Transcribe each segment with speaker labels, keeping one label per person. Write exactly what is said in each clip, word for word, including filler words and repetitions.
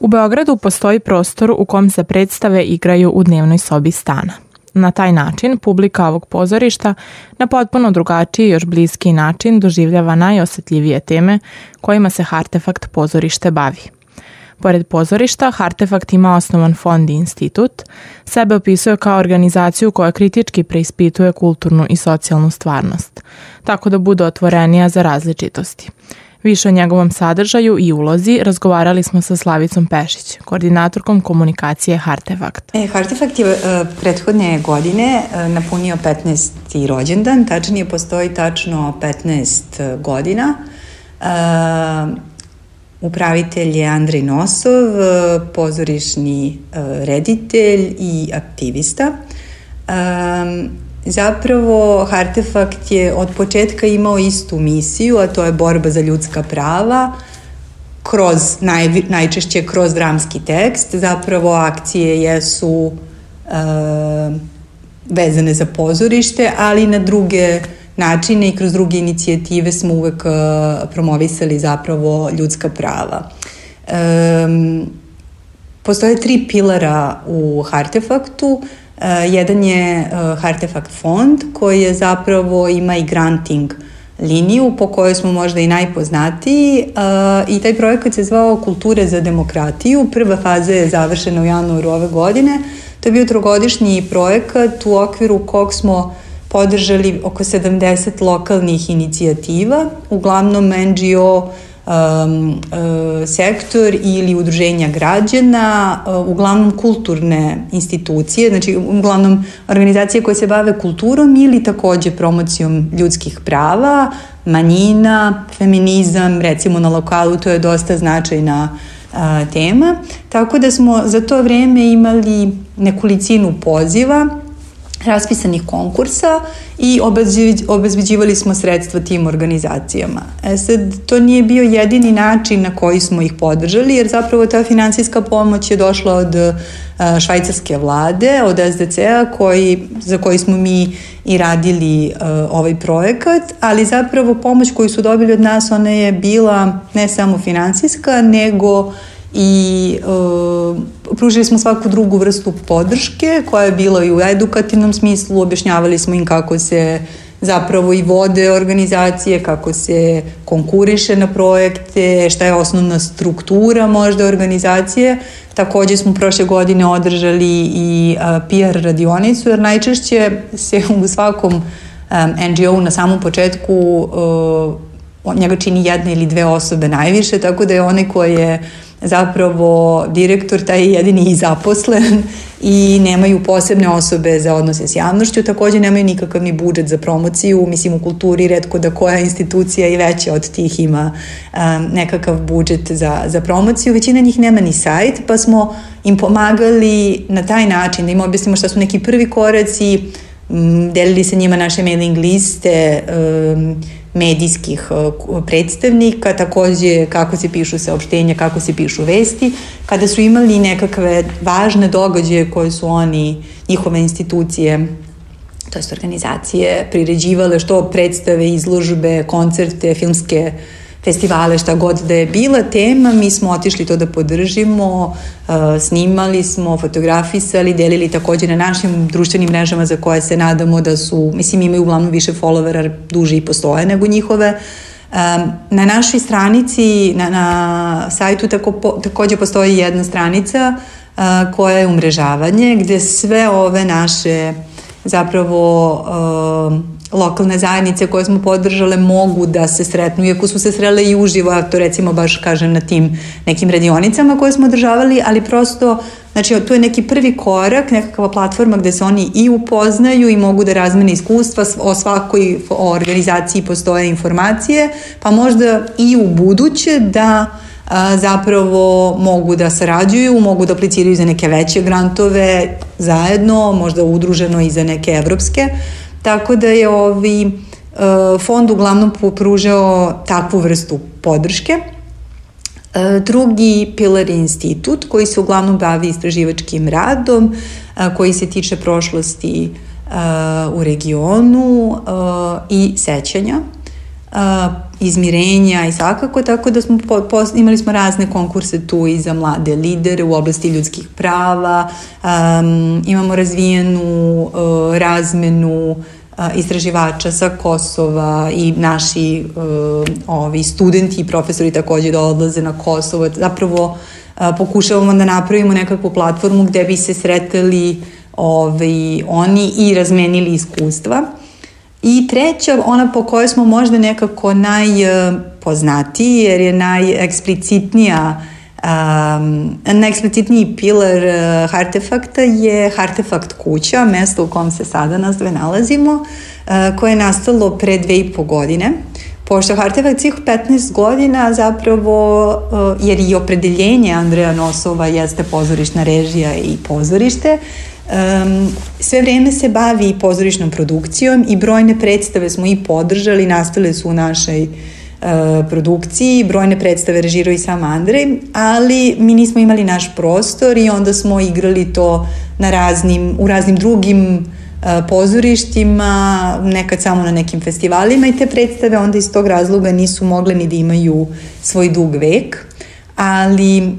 Speaker 1: U Beogradu postoji prostor u kom se predstave igraju u dnevnoj sobi stana. Na taj način publika ovog pozorišta na potpuno drugačiji i još bliski način doživljava najosetljivije teme kojima se Hartefakt pozorište bavi. Pored pozorišta, Hartefakt ima osnovan fond i institut, sebe opisuje kao organizaciju koja kritički preispituje kulturnu i socijalnu stvarnost, tako da bude otvorenija za različitosti. Više o njegovom sadržaju i ulozi razgovarali smo sa Slavicom Pešić, koordinatorkom komunikacije Hartefakta.
Speaker 2: E, Hartefakt je uh, prethodne godine uh, napunio petnaesti rođendan, tačnije postoji tačno petnaest godina. Uh, upravitelj je Andrej Nosov, uh, pozorišni uh, reditelj i aktivista. Um, Zapravo, Hartefakt je od početka imao istu misiju, a to je borba za ljudska prava, kroz, naj, najčešće kroz dramski tekst. Zapravo, akcije jesu e, vezane za pozorište, ali na druge načine i kroz druge inicijative smo uvek e, promovisali zapravo ljudska prava. E, postoje tri pilara u Hartefaktu. Uh, jedan je uh, Hartefakt fond koji je zapravo ima i granting liniju po kojoj smo možda i najpoznatiji uh, i taj projekat se zvao Kulture za demokratiju. Prva faza je završena u januaru ove godine. To je bio trogodišnji projekat u okviru kog smo podržali oko sedamdeset lokalnih inicijativa, uglavnom en dži o Um, uh, sektor ili udruženja građana, uh, uglavnom kulturne institucije, znači uglavnom organizacije koje se bave kulturom ili takođe promocijom ljudskih prava, manjina, feminizam, recimo na lokalu to je dosta značajna uh, tema, tako da smo za to vreme imali nekolicinu poziva, raspisanih konkursa i obezbeđivali smo sredstva tim organizacijama. E sad, to nije bio jedini način na koji smo ih podržali, jer zapravo ta finansijska pomoć je došla od a, švajcarske vlade, od es de ce a, koji, za koji smo mi i radili a, ovaj projekat, ali zapravo pomoć koju su dobili od nas, ona je bila ne samo finansijska, nego i uh, pružili smo svaku drugu vrstu podrške koja je bila i u edukativnom smislu, objašnjavali smo im kako se zapravo i vode organizacije, kako se konkuriše na projekte, šta je osnovna struktura možda organizacije. Takođe smo prošle godine održali i uh, pe er radionicu, jer najčešće se u svakom um, en dži o-u na samom početku uh, njega čini jedna ili dve osobe najviše, tako da je onaj koji je zapravo direktor, taj je jedini i zaposlen i nemaju posebne osobe za odnose s javnošću, takođe nemaju nikakav ni budžet za promociju, mislim u kulturi retko da koja institucija i veća od tih ima um, nekakav budžet za, za promociju, većina njih nema ni sajt, pa smo im pomagali na taj način da im objasnimo šta su neki prvi koraci, um, delili sa njima naše mailing liste, um, medijskih predstavnika, takođe kako se pišu saopštenja, kako se pišu vesti, kada su imali nekakve važne događaje koje su oni, njihove institucije, to jest organizacije, priređivale, što predstave, izložbe, koncerte, filmske festivale, šta god da je bila tema, mi smo otišli to da podržimo, snimali smo, fotografisali, delili takođe na našim društvenim mrežama za koje se nadamo da su, mislim imaju uglavnom više followera, duže i postoje nego njihove. Na našoj stranici, na, na sajtu tako, takođe postoji jedna stranica koja je umrežavanje, gde sve ove naše zapravo lokalne zajednice koje smo podržale mogu da se sretnu, iako su se srele i uživo, a to recimo baš kažem na tim nekim radionicama koje smo održavali, ali prosto, znači to je neki prvi korak, nekakva platforma gde se oni i upoznaju i mogu da razmene iskustva, o svakoj organizaciji postoje informacije, pa možda i u buduće da a, zapravo mogu da sarađuju, mogu da apliciraju za neke veće grantove zajedno, možda udruženo i za neke evropske. Tako da je ovi uh, fond uglavnom pružao takvu vrstu podrške. Uh, drugi pilar je institut koji se uglavnom bavi istraživačkim radom, uh, koji se tiče prošlosti uh, u regionu uh, i sećanja. a, izmirenja i svakako, tako da smo po, po, imali smo razne konkurse tu i za mlade lidere u oblasti ljudskih prava, um, imamo razvijenu uh, razmenu uh, istraživača sa Kosova i naši uh, ovi studenti i profesori takođe da odlaze na Kosovo. Zapravo uh, pokušavamo da napravimo nekakvu platformu gde bi se sretali ovaj, oni i razmenili iskustva. I treća, ona po kojoj smo možda nekako najpoznatiji, jer je najeksplicitnija, um, najeksplicitniji pilar uh, Hartefakta je Hartefakt kuća, mesto u kom se sada nas dve nalazimo, uh, koje je nastalo pre dve i po godine. Pošto Hartefakt svih petnaest godina zapravo, uh, jer i opredeljenje Andreja Nosova jeste pozorišna režija i pozorište, Um, sve vreme se bavi pozorišnom produkcijom i brojne predstave smo i podržali, nastale su u našoj uh, produkciji, brojne predstave režirao i sam Andrej, ali mi nismo imali naš prostor i onda smo igrali to na raznim, u raznim drugim uh, pozorištima, nekad samo na nekim festivalima i te predstave onda iz tog razloga nisu mogle ni da imaju svoj dug vek. Ali um,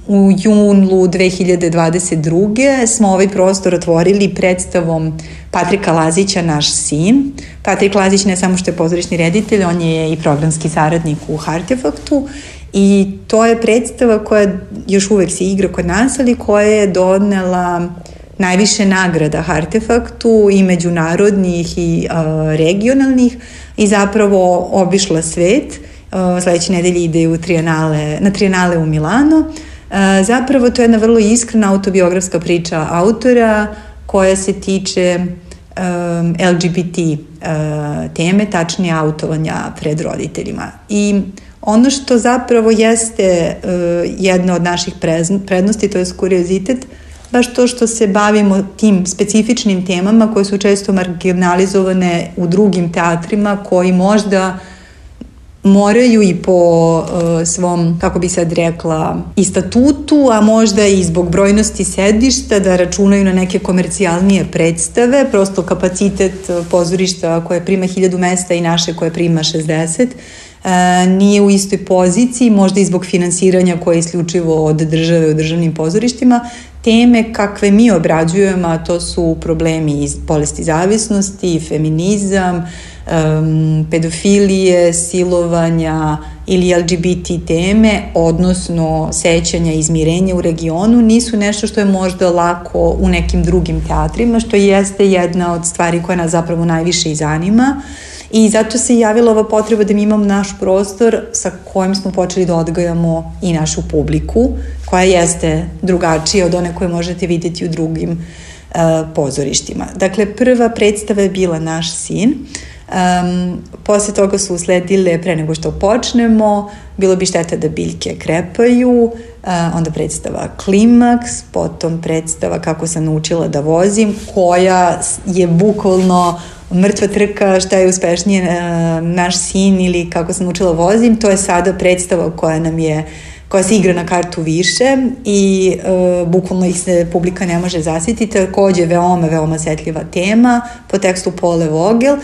Speaker 2: u junu dve hiljade dvadeset druge smo ovaj prostor otvorili predstavom Patrika Lazića, Naš sin. Patrik Lazić ne samo što je pozorišni reditelj, on je i programski saradnik u Hartefaktu i to je predstava koja još uvek se igra kod nas, ali koja je donela najviše nagrada Hartefaktu i međunarodnih i uh, regionalnih i zapravo obišla svet. Uh, sledeće nedelje ide u trijenale, na trijenale u Milano. Uh, zapravo to je jedna vrlo iskrena autobiografska priča autora koja se tiče um, L G B T uh, teme, tačnije autovanja pred roditeljima. I ono što zapravo jeste uh, jedna od naših prednosti, to je kuriozitet, baš to što se bavimo tim specifičnim temama koje su često marginalizovane u drugim teatrima koji možda moraju i po uh, svom, kako bi sad rekla, i statutu, a možda i zbog brojnosti sedišta da računaju na neke komercijalnije predstave, prosto kapacitet pozorišta koje prima hiljadu mesta i naše koje prima šezdeset uh, nije u istoj poziciji, možda i zbog finansiranja koje je isključivo od države u državnim pozorištima. Teme kakve mi obrađujemo, a to su problemi iz bolesti zavisnosti, feminizam, um, pedofilije, silovanja ili L G B T teme, odnosno sećanja i izmirenja u regionu, nisu nešto što je možda lako u nekim drugim teatrima, što jeste jedna od stvari koja nas zapravo najviše i zanima. I zato se javila ova potreba da mi imamo naš prostor sa kojim smo počeli da odgajamo i našu publiku, koja jeste drugačija od one koje možete vidjeti u drugim uh, pozorištima. Dakle, prva predstava je bila Naš sin. Um, posle toga su usledile, pre nego što počnemo, Bilo bi šteta da biljke krepaju, uh, onda predstava Klimaks, potom predstava Kako sam naučila da vozim, koja je bukvalno mrtva trka, šta je uspešnije, uh, Naš sin ili Kako sam naučila vozim. To je sada predstava koja nam je koja se igra na kartu više i uh, bukvalno ih se publika ne može zasjetiti. Takođe veoma, veoma osetljiva tema po tekstu Pole Vogel.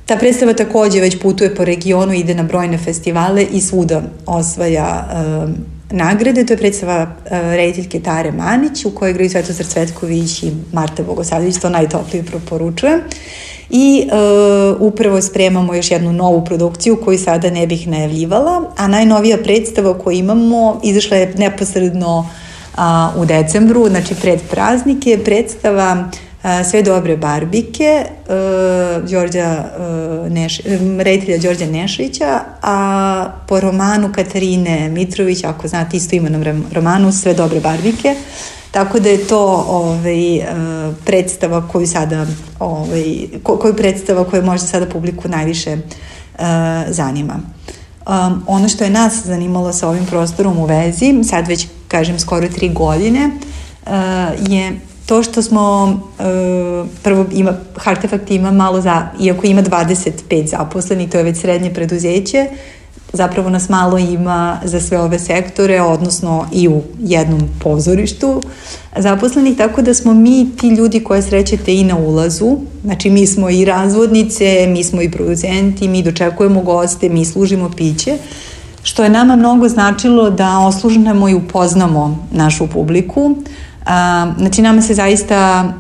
Speaker 2: Ta predstava takođe već putuje po regionu, ide na brojne festivale i svuda osvaja uh, nagrade. To je predstava uh, rediteljke Tare Manić, u kojoj igraju Svetozar Cvetković i Marta Bogosavljević, to najtoplije preporučujem. I uh, upravo spremamo još jednu novu produkciju koju sada ne bih najavljivala, a najnovija predstava koju imamo izašla je neposredno uh, u decembru, znači pred praznike, predstava uh, Sve dobre barbike uh, Đorđa, uh, Neš, reditelja Đorđa Nešića, a po romanu Katarine Mitrović, ako znate isto imenom romanu Sve dobre barbike. Tako da je to ovaj, predstava koju sada, ovaj, koju predstava koju možda sada publiku najviše uh, zanima. Um, ono što je nas zanimalo sa ovim prostorom u vezi, sad već kažem skoro tri godine, uh, je to što smo, uh, prvo ima, Hartefakt ima malo, za, iako ima dvadeset pet zaposlenih, to je već srednje preduzeće, zapravo nas malo ima za sve ove sektore, odnosno i u jednom pozorištu zaposlenih, tako da smo mi ti ljudi koje srećete i na ulazu, znači mi smo i razvodnice, mi smo i producenti, mi dočekujemo goste, mi služimo piće, što je nama mnogo značilo da oslužnemo i upoznamo našu publiku. A, znači nama se zaista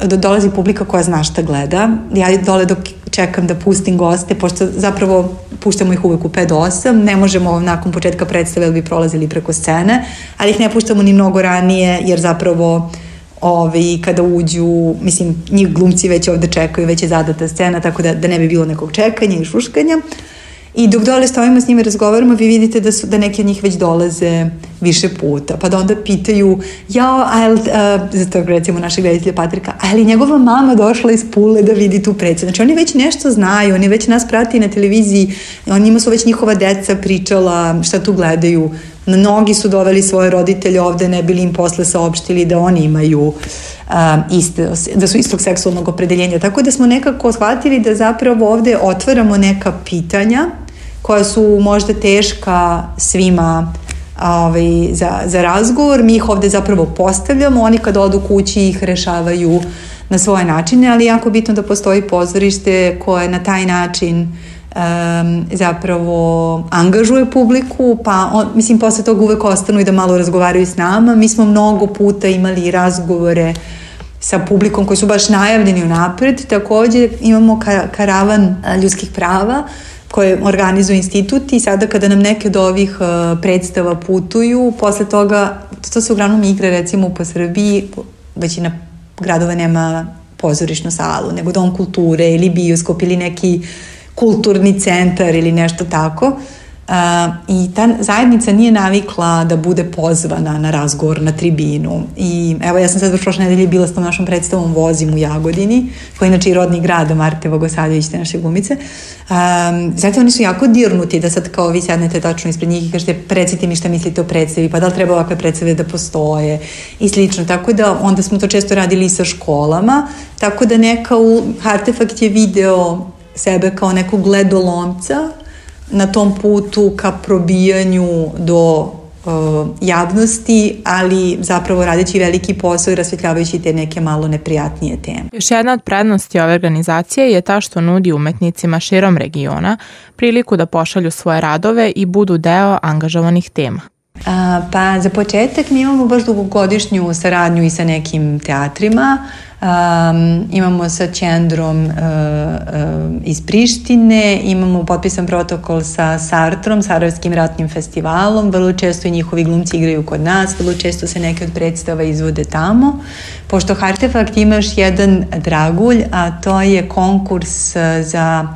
Speaker 2: dolazi publika koja zna šta gleda. Ja dole dok čekam da pustim goste, pošto zapravo puštamo ih uvek u pet do osam, ne možemo nakon početka predstave da bi prolazili preko scene, ali ih ne puštamo ni mnogo ranije, jer zapravo ovi, kada uđu, mislim, njih glumci već ovde čekaju, već je zadata scena, tako da, da ne bi bilo nekog čekanja i šuškanja. I dok dole stojimo s njima i razgovaramo, vi vidite da, su, da neki od njih već dolaze više puta. Pa da onda pitaju, jao, a uh, za to recimo našeg reditelja Patrika, ali njegova mama došla iz Pule da vidi tu predstavu. Znači oni već nešto znaju, oni već nas prati na televiziji, oni njima su već njihova deca pričala šta tu gledaju. Mnogi su doveli svoje roditelje ovde, ne bili im posle saopštili da oni imaju um, iste, da su istog seksualnog opredeljenja. Tako da smo nekako shvatili da zapravo ovde otvaramo neka pitanja koja su možda teška svima ovaj, za, za razgovor. Mi ih ovde zapravo postavljamo, oni kad odu kući ih rešavaju na svoje načine, ali jako bitno da postoji pozorište koje na taj način Um, zapravo angažuje publiku, pa on, mislim posle toga uvek ostanu i da malo razgovaraju s nama. Mi smo mnogo puta imali razgovore sa publikom koji su baš najavljeni unapred. Takođe imamo ka, karavan ljudskih prava koje organizuje institut i sada kada nam neke od ovih uh, predstava putuju, posle toga, to se uglavnom igra recimo po Srbiji, većina gradova nema pozorišnu salu, nego dom kulture ili bioskop ili neki kulturni centar ili nešto tako. Uh, i ta zajednica nije navikla da bude pozvana na razgovor na tribinu. I evo, ja sam sad baš prošle nedelje bila s tom našom predstavom Vozim u Jagodini, koji je inače i rodni grad Marte Vogosavljević, te naše glumice. Um, zato oni su jako dirnuti da sad kao vi sednete tačno ispred njih i kažete recite mi šta mislite o predstavi, pa da li treba ovakve predstave da postoje i slično. Tako da onda smo to često radili i sa školama, tako da neka u Artefakt je video sebe kao nekog gledolomca na tom putu ka probijanju do uh, javnosti, ali zapravo radeći veliki posao i rasvetljavajući te neke malo neprijatnije teme.
Speaker 1: Još jedna od prednosti ove organizacije je ta što nudi umetnicima širom regiona priliku da pošalju svoje radove i budu deo angažovanih tema.
Speaker 2: A, pa za početak mi imamo baš dugogodišnju saradnju i sa nekim teatrima. Um, imamo sa Ćendrom uh, uh, iz Prištine, imamo potpisan protokol sa Sartrom, Sarajevskim ratnim festivalom, vrlo često i njihovi glumci igraju kod nas, vrlo često se neke od predstava izvode tamo. Pošto Artefakt ima još jedan dragulj, a to je konkurs za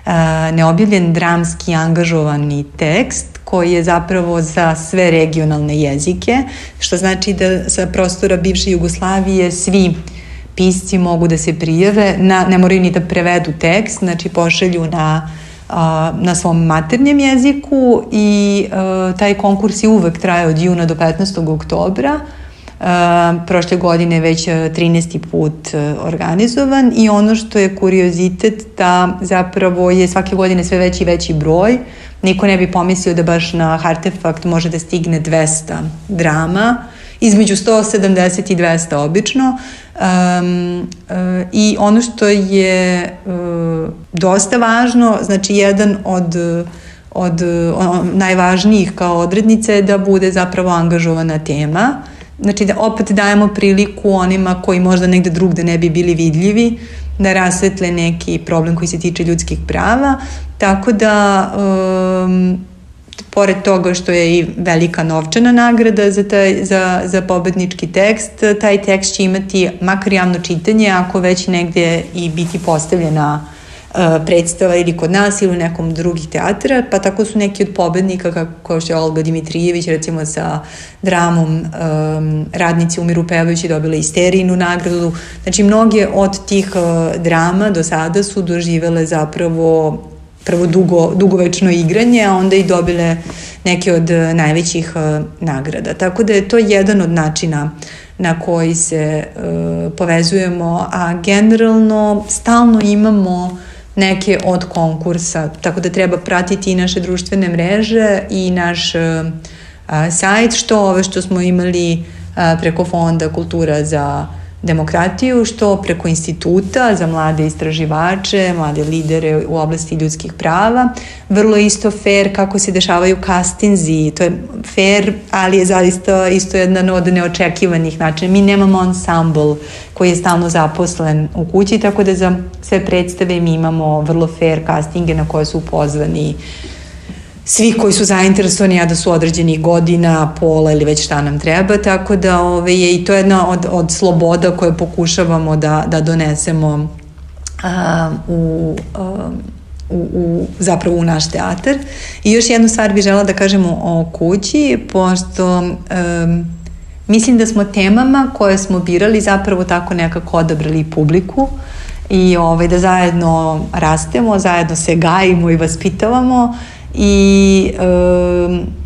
Speaker 2: uh, neobjavljen dramski angažovani tekst, koji je zapravo za sve regionalne jezike, što znači da sa prostora bivše Jugoslavije svi pisci mogu da se prijave, na, ne moraju ni da prevedu tekst, znači pošalju na, a, na svom maternjem jeziku i a, taj konkurs je uvek traje od juna do petnaestog oktobra. A, prošle godine već trinaesti put organizovan i ono što je kuriozitet da zapravo je svake godine sve veći i veći broj. Niko ne bi pomislio da baš na Artefakt može da stigne dvesta drama, između sto sedamdeset i dvesta obično. Um, uh, I ono što je uh, dosta važno, znači jedan od, od uh, najvažnijih kao odrednice je da bude zapravo angažovana tema. Znači da opet dajemo priliku onima koji možda negde drugde ne bi bili vidljivi, da rasvetle neki problem koji se tiče ljudskih prava, tako da um, pored toga što je i velika novčana nagrada za, taj, za, za pobednički tekst, taj tekst će imati makar javno čitanje, ako već negde i biti postavljena uh, predstava ili kod nas ili u nekom drugih teatra, pa tako su neki od pobednika kao što je Olga Dimitrijević recimo sa dramom um, Radnici umiru pevajući dobila i Sterijinu nagradu. Znači mnoge od tih uh, drama do sada su doživele zapravo prvo dugo, dugovečno igranje, a onda i dobile neke od najvećih uh, nagrada. Tako da je to jedan od načina na koji se uh, povezujemo, a generalno stalno imamo neke od konkursa, tako da treba pratiti i naše društvene mreže i naš a, sajt, što ove što smo imali a, preko Fonda Kultura za demokratiju, što preko instituta za mlade istraživače, mlade lidere u oblasti ljudskih prava. Vrlo isto fair kako se dešavaju castinzi, to je fair, ali je zaista isto jedan od neočekivanih načina. Mi nemamo ansambl koji je stalno zaposlen u kući, tako da za sve predstave mi imamo vrlo fair castinge na koje su pozvani svi koji su zainteresovani, a da su određenih godina, pola ili već šta nam treba, tako da ove, je i to jedna od, od sloboda koje pokušavamo da, da donesemo a, u, a, u, u, zapravo u naš teatar. I još jednu stvar bih žela da kažemo o kući, pošto um, mislim da smo temama koje smo birali zapravo tako nekako odabrali publiku i ove, da zajedno rastemo, zajedno se gajimo i vaspitavamo. I e,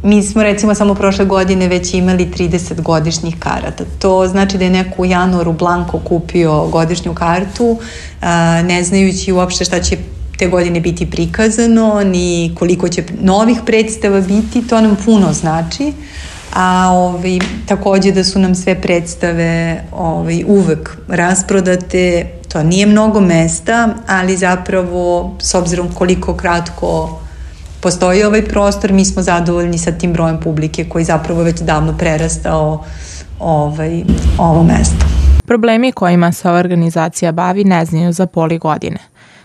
Speaker 2: mi smo recimo samo prošle godine već imali trideset godišnjih karata. To znači da je neko u januaru blanko kupio godišnju kartu, a, ne znajući uopšte šta će te godine biti prikazano, ni koliko će novih predstava biti, to nam puno znači. A ovaj, takođe da su nam sve predstave ovaj, uvek rasprodate, to nije mnogo mesta, ali zapravo s obzirom koliko kratko postoji ovaj prostor, mi smo zadovoljni sa tim brojem publike koji zapravo već davno prerastao ovaj, ovo mesto.
Speaker 1: Problemi kojima se ova organizacija bavi ne znaju za poli godine.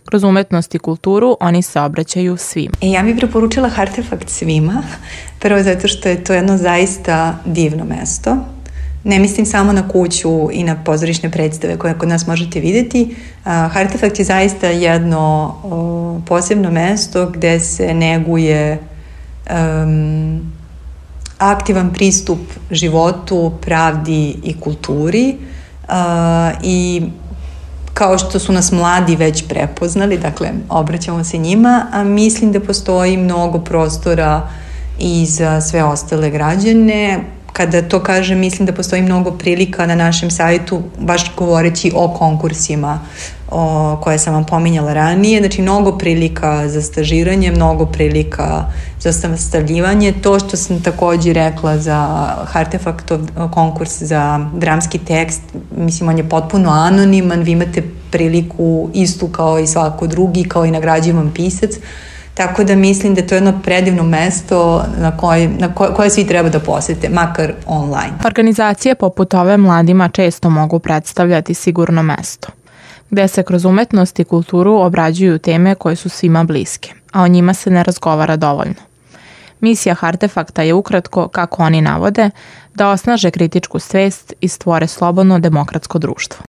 Speaker 1: Kroz umetnost i kulturu oni se obraćaju svima.
Speaker 2: E, ja bih preporučila Hartefakt svima, prvo zato što je to jedno zaista divno mesto. Ne mislim samo na kuću i na pozorišne predstave koje kod nas možete videti. Hartefakt je zaista jedno o, posebno mesto gde se neguje um, aktivan pristup životu, pravdi i kulturi uh, i kao što su nas mladi već prepoznali, dakle obraćamo se njima, a mislim da postoji mnogo prostora i za sve ostale građane. Kada to kažem, mislim da postoji mnogo prilika na našem sajtu, baš govoreći o konkursima o, koje sam vam pominjala ranije. Znači, mnogo prilika za stažiranje, mnogo prilika za sastavljivanje. To što sam takođe rekla za Hartefaktov konkurs za dramski tekst, mislim, on je potpuno anoniman, vi imate priliku istu kao i svako drugi, kao i nagrađivan pisac. Tako da mislim da to je jedno predivno mesto na koje, na koje, koje svi treba da posete, makar online.
Speaker 1: Organizacije poput ove mladima često mogu predstavljati sigurno mesto, gde se kroz umetnost i kulturu obrađuju teme koje su svima bliske, a o njima se ne razgovara dovoljno. Misija Hartefakta je ukratko, kako oni navode, da osnaže kritičku svest i stvore slobodno demokratsko društvo.